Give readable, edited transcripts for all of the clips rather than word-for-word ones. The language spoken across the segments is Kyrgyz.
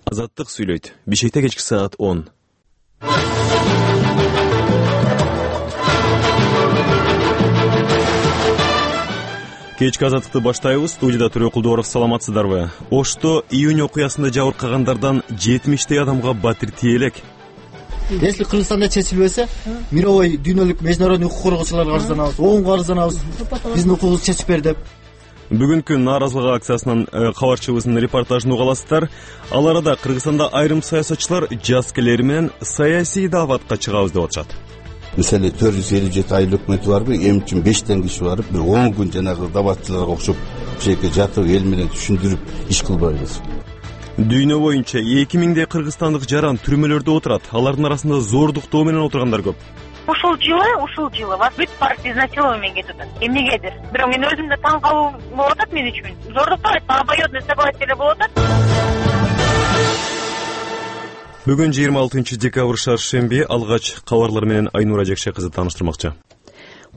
Азаттык сүйлөйт. Бишкекте кечки саат 10. Кечки азаттыкты баштайбыз. Студияда Төрө Кулдуоров, саламатсыздарбы? Ошто июнь окуясында жабыркагандардан 70 адамга батир тие элек. Если Кыргызстанда чечилбесе, мировой дүйнөлүк международный укук коргоочуларга арызданабыз, ООНго арызданабыз. Биздин укугубузду чечип бер деп. Бүгүнкү нааразылык акциясынын кабарчыбызынын репортажын уга аласыздар. Ал арада Кыргызстанда айрым саясатчылар жазкелери менен саясий дааватка чыгабыз деп атышат. Мисалы 457 айыл өкмөтү барбы, эми үчүн 5 киши барып, бир 10 күн жанагы дааватчыларга окшоп, бишекке жатып эл менен түшүндүрүп иш кылбайбыз. Дүйнө боюнча 2000дей кыргызстандык жаран түрмөлөрдө отурат. Алардын арасында зордуктоо менен отургандар көп. Ушул жылы вас бүт партия изнасилование кетип атат. Эмнегедир. Бирок мен өзүм да таң калуу болуп атат мен үчүн. Зордуктоо обоюдный согласие болуп атат. Бүгүн 26 декабрь шаршемби. Алгач кабарлар менен Айнура Жекше кызы тааныштырмакчы.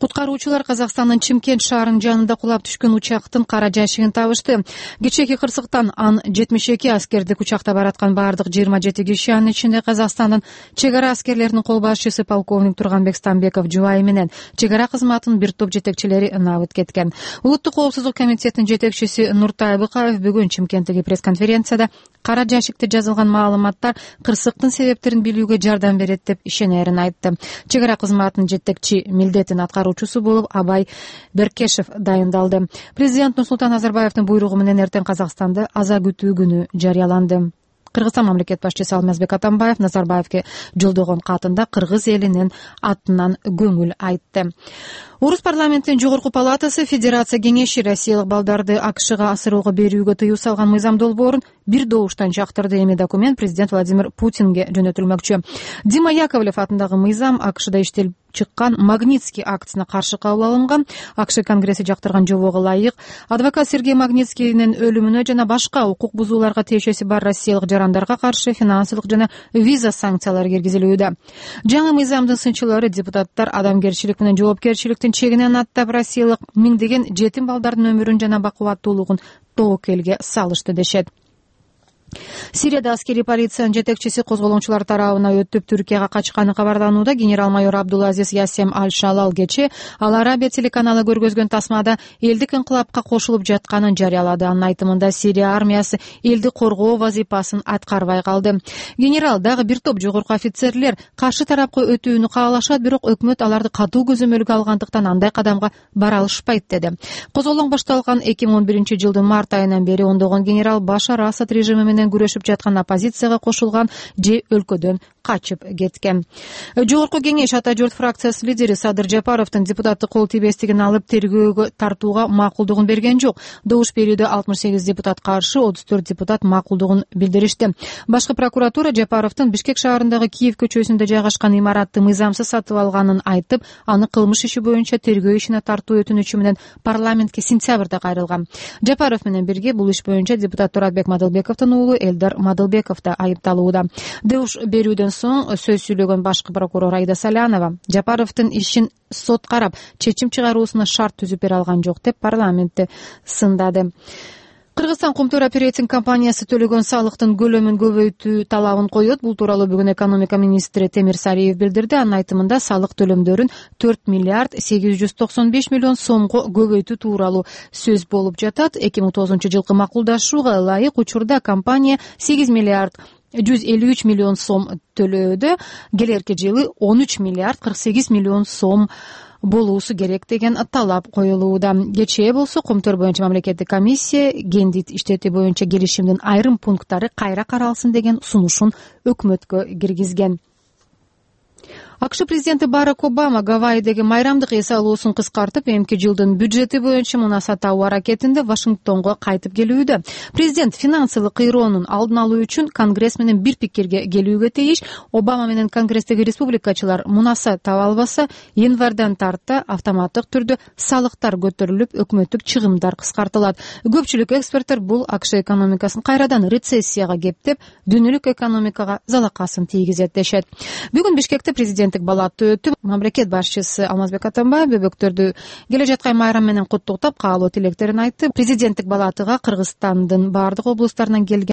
Куткаруучулар Казакстандын Чымкент шаарынын жанында кулап түшкөн учактын кара жайшыгын табышты. Кечээки кырсыктан ан 72 аскердик учакта бараткан бардык 27 киши, анын ичинде Казакстандын чек ара аскерлеринин кол башчысы полковник Турганбек Стамбеков жубайы менен чек ара кызматынын бир топ жетекчилери набыт кеткен. Улуттук коопсуздук комитетинин жетекчиси Нуртай Быкаев бүгүн Чымкенттеги пресс-конференцияда кара жайшыкта жазылган маалыматтар кырсыктын себептерин билүүгө жардам берет деп ишенерин айтты. Чек ара кызматынын жетекчи милдетин аткаруучусу болуп Абай Беркешев дайындалды. Президент Нурсултан Назарбаевдин буйругу менен эртең Казакстанда аза күтүү күнү жарыяланды. Кыргызстан мамлекет башчысы Алмазбек Атамбаев Назарбаевге жолдогон катында кыргыз элинин атынан көңүл айтты. Орус парламентинин жогорку палатасы Федерация кеңеши россиялык балдарды АКШга асырууга берүүгө тыюу салган мыйзам долбоорун бир добуштан жактырды. Эми документ президент Владимир Путинге жөнөтүлмөкчү. Дима Яковлев атындагы мыйзам АКШда иштелип чыккан Магнитский актысына каршы кабыл алынган. АКШ Конгресси жактырган жобого ылайык адвокат Сергей Магнитскийдин өлүмүнө жана башка укук бузууларга тиешеси бар россиялык жарандарга каршы финансылык жана виза санкциялары киргизилүүдө. Жаңы мыйзамдын сынчылары депутаттар адамгерчилик менен жоопкерчиликтин чегинен аттап россиялык миңдеген жетим балдардын өмүрүн жана бакубаттуулугун тобокелге салышты дешет. Сирияда аскери полициянын жетекчиси козголоңчулар тарабына өтүп Түркияга качканы кабарланууда. Генерал-майор Абдулазиз Ясем Аль-Шалал кечээ Ал Арабия телеканалы көргөзгөн тасмада элдик инкылапка кошулуп жатканын жарыялады. Анын айтымында Сирия армиясы элди коргоо вазифасын аткарбай калды. Генерал дагы бир топ жогорку офицерлер каршы тарапка өтүүнү каалашат, бирок өкмөт аларды катуу көзөмөлгө алгандыктан андай кадамга бара алышпайт деди. Козголоң башталган 2011 жылдын март айынан бери ондогон генерал Башар Асад режими менен күрөшүп жаткан оппозицияга кошулган же өлкөдөн качып кеткен. Жогорку кеңеш Ата журт фракциясы лидери Садыр Жапаровдун депутаттык кол тийбестигин алып тергөөгө тартууга макулдугун берген жок. Добуш берүүдө 68 депутат каршы, 34 депутат макулдугун билдиришти. Башкы прокуратура Жапаровдун Бишкек шаарындагы Киев көчөсүндө жайгашкан имаратты мыйзамсыз сатып алганын айтып, аны кылмыш иши боюнча тергөө ишине тартуу өтүнүчү менен парламентке сентябрда кайрылган. Жапаров менен бирге бул иш боюнча депутат Туратбек Мадылбековдун уулу Элдар Мадылбеков да айыпталууда. Добуш берүүдөн соң сөз сүйлөгөн башкы прокурор Айда Салянова Жапаровдун ишин сот карап, чечим чыгаруусуна шарт түзүп бере алган жок деп парламентте сындады. Кыргызстан Кумтөр оперейтинг компаниясы төлөгөн салыктын көлөмүн көбөйтүү талабын коет. Бул тууралуу бүгүн экономика министри Темир Сариев билдирди. Анын айтымында салык төлөмдөрүн 4 миллиард 895 миллион сомго көбөйтүү тууралуу сөз болуп жатат. 2009 жылкы макулдашууга ылайык учурда компания 8 миллиард 153 миллион сом төлөөдө, келерки жылы 13 миллиард 48 миллион сом болуусу керек деген талап коюлууда. Кечээ болсо Кумтөр боюнча мамлекеттик комиссия гендит иштети боюнча келишимдин айрым пункттары кайра каралсын деген сунушун өкмөткө киргизген. АКШ президенти Барак Обама Гавайидеги майрамдык эс алуусун кыскартып, эмки жылдын бюджети боюнча муна сатуу аракетинде Вашингтонго кайтып келүүдө. Президент финансылык кыйроонун алдын алуу үчүн Конгресс менен бир пикирге келүүгө тийиш. Обама менен Конгресстеги республикачылар мунаса таба албаса, январдан тарта автоматтык түрдө салыктар көтөрүлүп, өкмөттүк чыгымдар кыскартылат. Көпчүлүк эксперттер бул АКШ экономикасын кайрадан рецессияга кептеп, дүйнөлүк экономикага залакасын тийгизет дешет. Бүгүн Бишкекте президенттик балаты өтүп, мамлекет башчысы Алмазбек Атамбаев бөбөктөрдү келе жаткан майрам менен куттуктап, каалоо тилектерин айтты. Президенттик балатыга Кыргызстандын бардык облустарынан келген